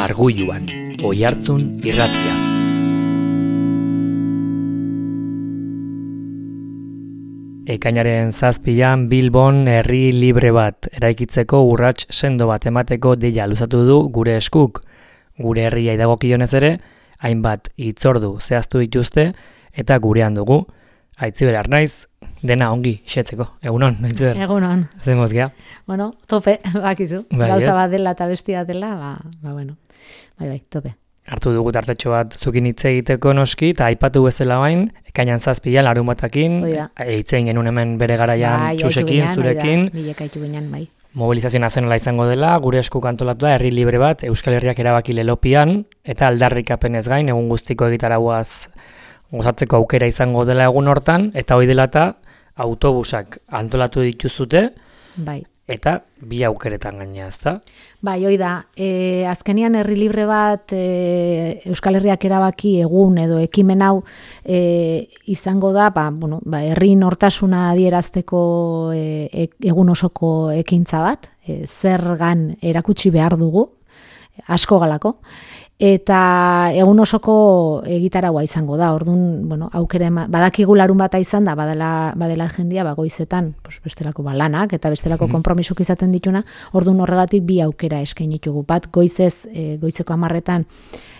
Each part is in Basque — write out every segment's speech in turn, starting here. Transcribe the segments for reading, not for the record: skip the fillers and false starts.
Arguluan, Oihartzun irratia. Ekainaren 7an Bilbon herri libre bat eraikitzeko urrats sendo bat emateko deia luzatu du gure eskuk. Gure herria dagokionez ere, hainbat hitzordu zehaztu dituzte eta gurean dugu. Aitziber Arnaiz, dena ongi xetzeko. Egunon, Aitziber. Egunon. Zemoz gea. Bueno, tope, bakizu. Bai, Gauza bat dela eta bestia dela, bueno. Bai, tope. Hartu dugu tartetxo bat zukin hitz egiteko noski, eta aipatu bezala bain, ekainan 7an larunbatakin, hitzein genuen hemen bere garaian txusekin, zurekin. Bilekaitu ginen, bai. Mobilizazio nazionala izango dela, gure esku antolatu da, herri libre bat, Euskal Herriak erabaki lelopian, eta aldarrikapenez gain, egun guztiko egitarauaz gozatzeko aukera izango dela egun hortan, eta hoi dela eta autobusak antolatu dituzute, bai. Eta bi aukeretan gainea, ezta? Bai, hoi da, azkenian herri libre bat Euskal Herriak erabaki egun edo ekimen hau izango da, herri nortasuna adierazteko egun osoko ekintza bat, zergan erakutsi behar dugu, asko galako, eta egun osoko egitaraua izango da. Orduan, aukera badakigu larun bata izan da, badela jendia goizetan, bestelako lanak eta bestelako konpromisuk izaten dituna, orduan horregatik bi aukera eskaini ditugu. Bat goizez, goizeko 10etan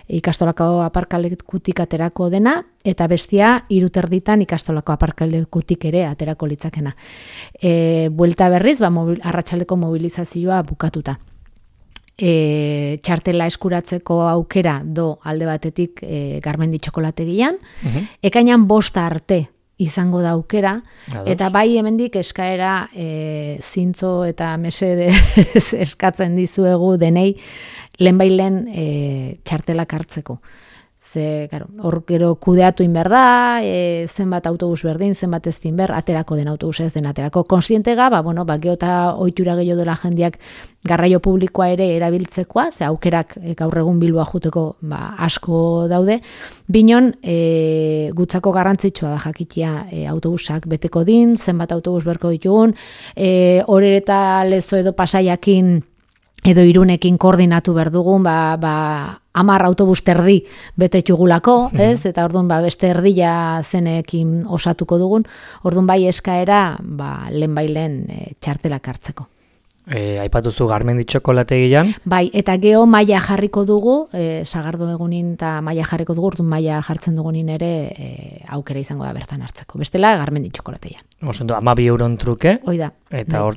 ikastolako aparkalekutik aterako dena, eta bestia 3:30 ikastolako aparkalekutik ere aterako litzakena. Buelta berriz, arratsaldeko mobilizazioa bukatuta. Txartela eskuratzeko aukera do alde batetik Garmendi txokolategian, ekainan 5 arte izango da aukera, eta bai hemendik eskaera zintzo eta mesede eskatzen dizuegu denei lehenbailen txartelak hartzeko. Hor gero kudeatu inber da, zenbat autobus berdin, zenbat ez dinber, aterako den autobus ez den aterako. Konstientega, gero eta ohitura gehiago dela jendiak garraio publikoa ere erabiltzekoa, ze aukerak gaur egun Bilboa juteko asko daude. Binon, gutzako garrantzitsua da jakitea autobusak beteko din, zenbat autobus berko ditugun, Orere eta Lezo edo Pasaiakin edo Irunekin koordinatu behar dugun, 10 autobus terdi betetugulako, ez? Eta orduan beste erdila zenekin osatuko dugun, orduan bai eskaera lehenbailen txartelak hartzeko. Aipatuzu Garmendi txokolategian. Bai, eta geho maila jarriko dugu, sagardo egunin eta maila jarriko dugu, orduan maila jartzen dugunin ere aukera izango da bertan hartzeko. Bestela Garmendi txokolategian. Osondo, 12 euron truke. Hoi da,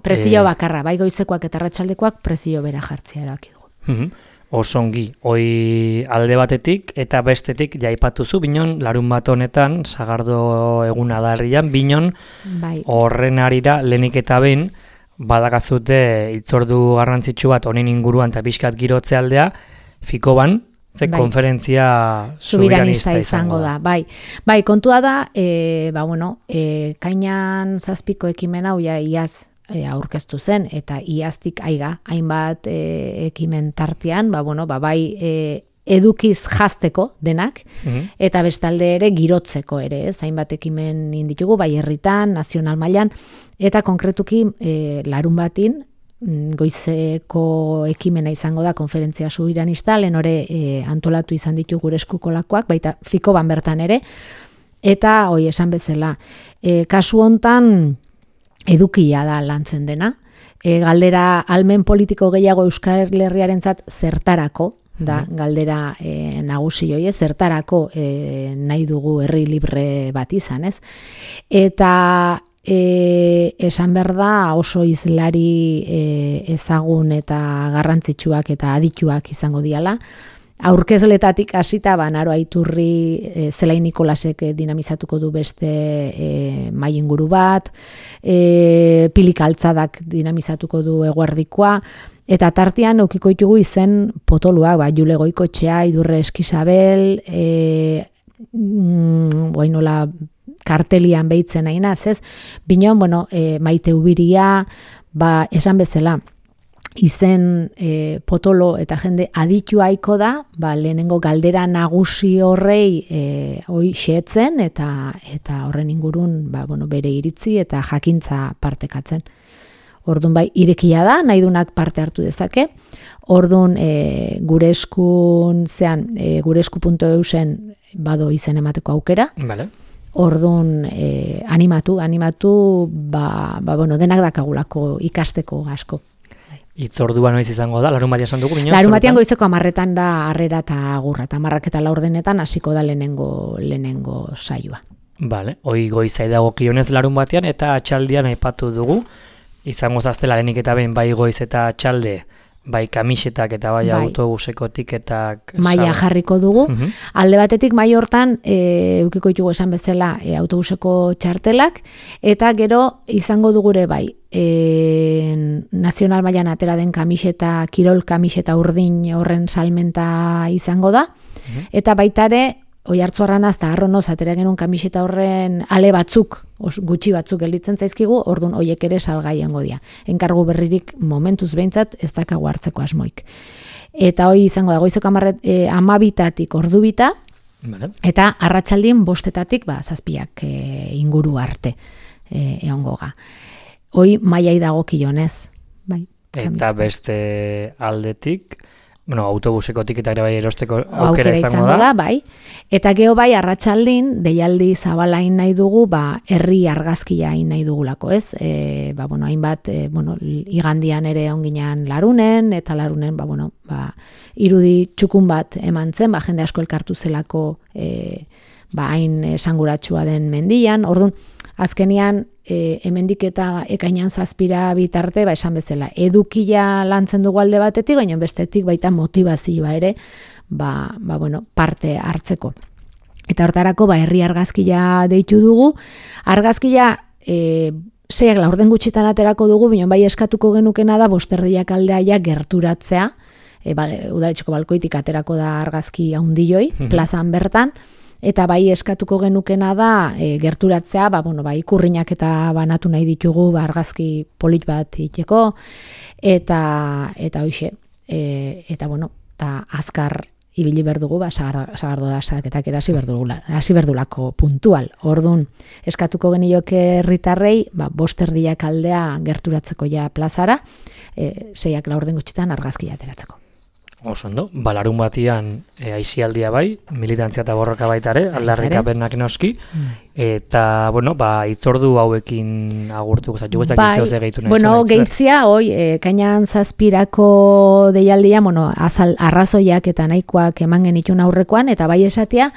prezio bakarra, bai goizekoak eta arratsaldekoak prezio bera jartzea erabaki dugu. Osongi, hoi alde batetik eta bestetik jaipatuzu, binon larun bat honetan, sagardo egun adarrian, binon horren arira lehenik eta behin, badakazute hitzordu garrantzitsu bat honen inguruan eta pixkat girotze aldea, Fikoban, konferentzia soberanista izango da. Bai, kontua da, kainan 7ko ekimen hau iaz aurkeztu zen, eta iaztik hainbat ekimen tartean, edukiz jazteko denak, eta bestalde ere girotzeko ere, hainbat ekimen inditugu, bai herritan, nazional mailan, eta konkretuki larun batin, goizeko ekimena izango da konferentzia soberanista, lehen antolatu izan ditu gure eskukolakoak, baita Fikoban bertan ere, eta esan bezala, kasu hontan edukia da lantzen dena, galdera almen politiko gehiago Euskal Herriarentzat zertarako, da galdera nagusi hori, zertarako nahi dugu herri libre bat izan, ez? Eta esan behar da oso hizlari ezagun eta garrantzitsuak eta adituak izango diala. Aurkezletatik hasita Naro Aiturri, Zelai Nikolasek dinamizatuko du beste mahai inguru bat, Pilik Altzadak dinamizatuko du eguerdikoa, eta tartean aukiko ditugu izen potoluak, Jule Goikoetxea, Idurre Eskisabel, nola kartelian behitzen nahi ez? Binon, Maite Ubiria, esan bezala, izen potolo eta jende aditu haiko da, lehenengo galdera nagusi horrei xeetzen eta horren ingurun bere iritzi eta jakintza partekatzen. Orduan bai, irekia da, nahi dunak parte hartu dezake. Orduan gure esku.eusen bado izen emateko aukera. Vale. Orduan animatu, bueno, denak dakagulako ikasteko asko. Itzordua noiz izango da, larunbatean esan dugu? Larunbatean goizeko 10:00 da harrera eta agurra, eta 10:00 hasiko da lehenengo saioa. Vale, hoi goizai dagokionez larunbatean eta atxaldian aipatu dugu, izango zaztela lehenik eta behin bai goiz eta atxalde, bai kamisetak eta bai autobuseko tiketak... Maila jarriko dugu. Alde batetik mai hortan, eukiko ditugu esan bezala autobuseko txartelak, eta gero izango dugure bai, nazional mailan atera den kamiseta, kirol kamiseta urdin horren salmenta izango da, eta baitare, Oiartzuarranaz eta Arronoz atera genuen kamiseta horren ale batzuk, gutxi batzuk gelditzen zaizkigu, orduan hoiek ere salgai egongo dira. Enkargu berririk momentuz behintzat ez dakago hartzeko asmoik. Eta hoi izango da goizeko 12:00 ordubita, eta arratsaldien 5:00 7:00 inguru arte egongo ga. Hoi mailai dagokionez, bai. Eta beste aldetik, autobuseko tiketak ere bai erosteko aukera izango da. Bai. Eta geho bai arratsaldin deialdi zabalain nahi dugu, herri argazkia hain nahi dugulako, ez? Hainbat, igandian ere onginan Larunen, eta Larunen, irudi txukun bat eman zen, jende asko elkartu zelako hain esanguratsua den mendian. Orduan, azkenian, hemendik eta ekainan 7 bitarte, esan bezala, edukia lantzen dugu alde batetik, baina bestetik baita motivazioa ere, parte hartzeko. Eta hortarako, herri argazkia deitu dugu. Argazkia, 6:00 gutxitan aterako dugu, baina bai eskatuko genukena da, 5:30 aldea gerturatzea, udaletxeko balkoitik aterako da argazki haundioi, plazan bertan, eta bai eskatuko genukena da gerturatzea, ikurrinak eta banatu nahi ditugu argazki polit bat iteko, eta hoixe, eta azkar ibili berdugu, sagardo da saketak erasi berdulako puntual. Orduan, eskatuko genioke herritarrei, 5:30 aldea gerturatzeko ja plazara, 6:00 gutxitan argazkia ateratzeko. Oso ondo, larun batian aisialdia bai, militantzia eta borroka baitare, aldarrikapenak noski, eta, itzordu hauekin agurtuko, zaitu guztak izeo ze gehitu nahi. Gehitzia, kainan 7:00 deialdia, arrazoiak eta nahikoak eman genitun aurrekoan, eta bai esatea,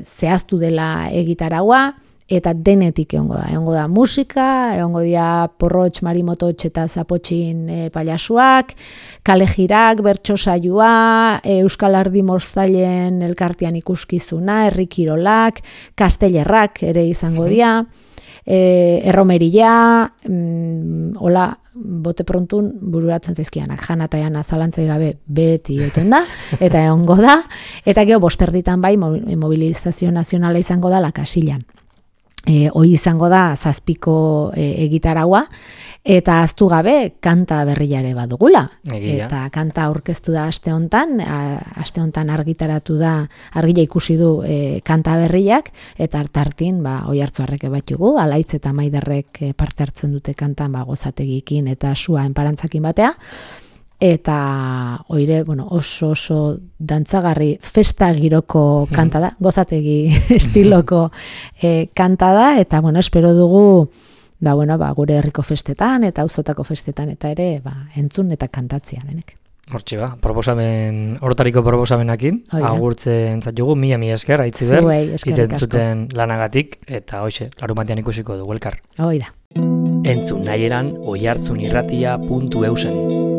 zehaztu dela egitaragua, eta denetik egongo da musika, egongo dira porrotx, marimototx eta zapotxin pailasuak, kalejirak, bertso saioa, Euskal Ardi Moztailen elkartean ikuskizuna, herri kirolak, kastellerrak ere izango dira, erromeria, hola, bote prontun bururatzen zaizkianak, jana eta jana zalantzai gabe beti oten da, eta egongo da, eta gero 5:00 bai, mobilizazio nazionala izango da Lakasilan. Hoi izango da 7:00 egitaragua, eta aztu gabe kanta berriare badugula. Eta kanta aurkeztu da aste hontan argitaratu da, argila ikusi du kanta berriak, eta tartin Oiartzuarrek batugu, Alaitz eta Maiderrek parte hartzen dute kantan gozategikin eta sua enparantzakin batea. Eta oire, oso dantzagarri festa giroko kanta da, gozategi estiloko kanta da, eta espero dugu gure herriko festetan eta auzotako festetan eta ere entzun eta kantatzea denek. Hortxe hortariko proposamenakin, agurtzen zaitugu, mila esker, Aitziber, itentzuten lanagatik, eta hoxe, larunbatean ikusiko dugu elkar. Hoi da. Entzun nahieran oiartzunirratia.eusen.